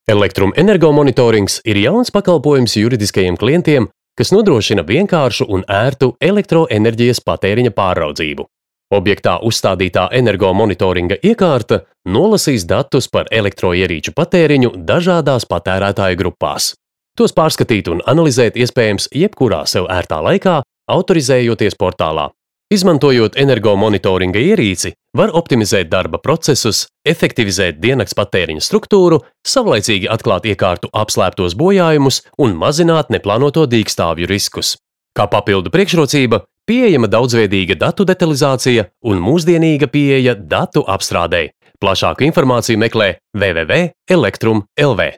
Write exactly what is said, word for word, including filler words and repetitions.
Elektrum energomonitorings ir jauns pakalpojums juridiskajiem klientiem, kas nodrošina vienkāršu un ērtu elektroenerģijas patēriņa pārraudzību. Objektā uzstādītā energomonitoringa iekārta nolasīs datus par elektroierīču patēriņu dažādās patērētāju grupās. Tos pārskatīt un analizēt iespējams jebkurā sev ērtā laikā, autorizējoties portālā. Izmantojot energomonitoringa ierīci, var optimizēt darba procesus, efektivizēt diennakts patēriņa struktūru, savlaicīgi atklāt iekārtu apslēptos bojājumus un mazināt neplānoto dīkstāvju riskus. Kā papildu priekšrocība, pieejama daudzveidīga datu detalizācija un mūsdienīga pieeja datu apstrādei. Plašāku informāciju meklē w w w punkt elektrum punkt l v.